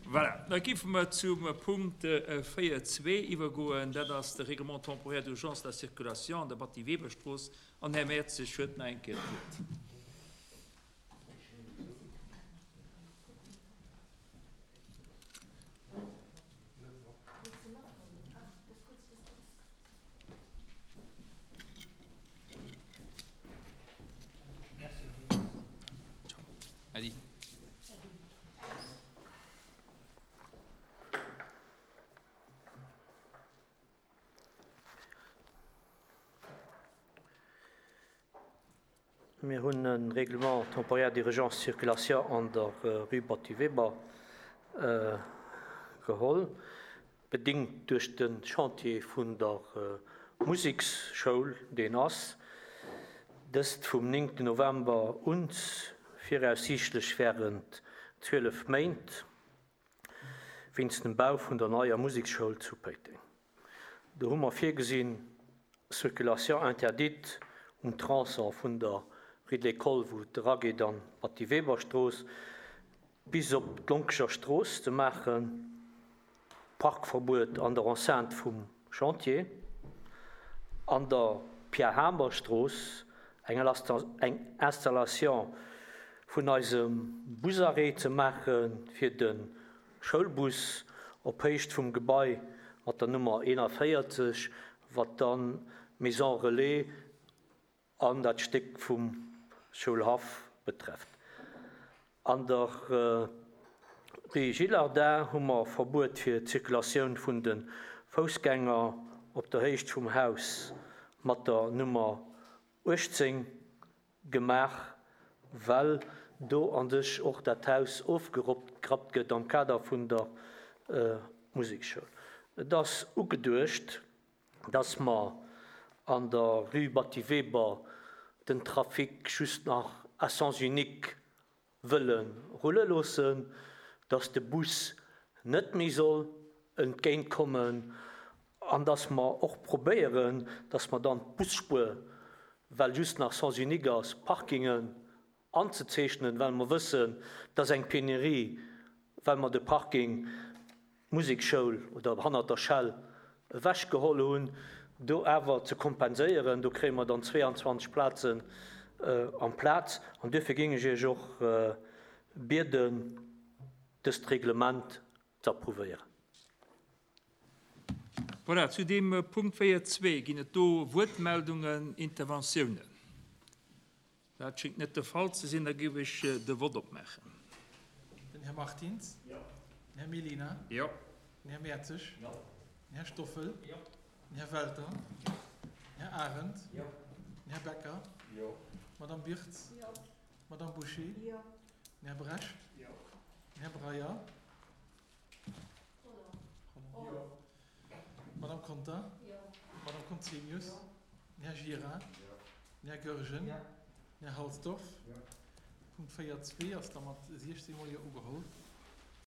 Voilà, da géife mer zum Punkt 4.2 iwwergoen. Dat ass de Règlement temporaire d'urgence de la circulation an der Batty-Weber-Strooss. An Här Mertzig huet nach eng Kéier d'Wuert. Mir hunn e Règlement temporaire d'urgence circulation an der Rue Batty Weber geholl, bedingt duerch de Chantier vun der Museksschoul, deen ass, dëst vum 9 November un, viraussiichtlech wärend 12 Méint, wéinst dem Bau vun der neier Museksschoul zu Péiteng. Do hu mer virgesinn, Circulation interdite um Tronçon vun der Rue de l'École, wou et erageet an d'Batty Weber-Strooss, bis op d'Lonkecher Strooss ze maachen, Parkverbuet an der Enceinte vum Chantier, an der Pierre Hamer Strooss eng Installation vun eisem Busarrêt ze maache fir de Schoulbus op Héicht vum Gebai mat der Nummer 41, wat dann d'Maison Relais an dat Stéck vum Schoulhaff betrefft. An der Rue Gillardin hu mer Verbuet fir d'Zirkulatioun vun de Foussgänger op der Héicht vum Haus mat der Nummer 18 gemaach, well do a sech och dat Haus ofgerappt gëtt am Kader vun der Musekschoul. Et ass ugeduecht, dass mer an der Rue Batty Weber den Trafic just nach à sens unique wëlle rulle loossen, dass de Bus net méi soll entgéint kommen an dass mer och probéieren, dass mer dann d'Busspuer, well just nach Sens unique ass, Parkingen anzezeechnen, well mer wëssen, dass eng Penurie, well mer de Parking Musekschoul oder hannert der Shell ewech geholl hunn, do awer ze kompenséieren. Do kréie mer dann 22 Plazen amplaz. An duerfir géing ech Iech och bieden, dëst Reglement ze approuvéieren. Voilà, zu deem Punkt 4.2 ginn et do Wuertmeldungen, Interventiounen? Dat schéngt net de Fall ze sinn. Da géif ech de Vott opmaachen. Den Här Martins. Jo. Den Här Mellina. Jo. Den Här Mertzig. Jo. Den Här Stoffel. Jo. Den Här Welter. Jo. Den Här Arendt. Jo. Den Här Becker. Jo. D'Madame Birtz. Jo. D'Madame Bouché. Jo. Den Här Brecht. Jo. Den Här Breyer. Jo. D'Madame Conter. Jo. D'Madame Conzemius. Jo. Den Här Gira. Jo. Den Här Goergen. Jo. Den Här Halsdorf. Jo. Punkt 4, 2 ass da mat 16 mol Jo ugeholl.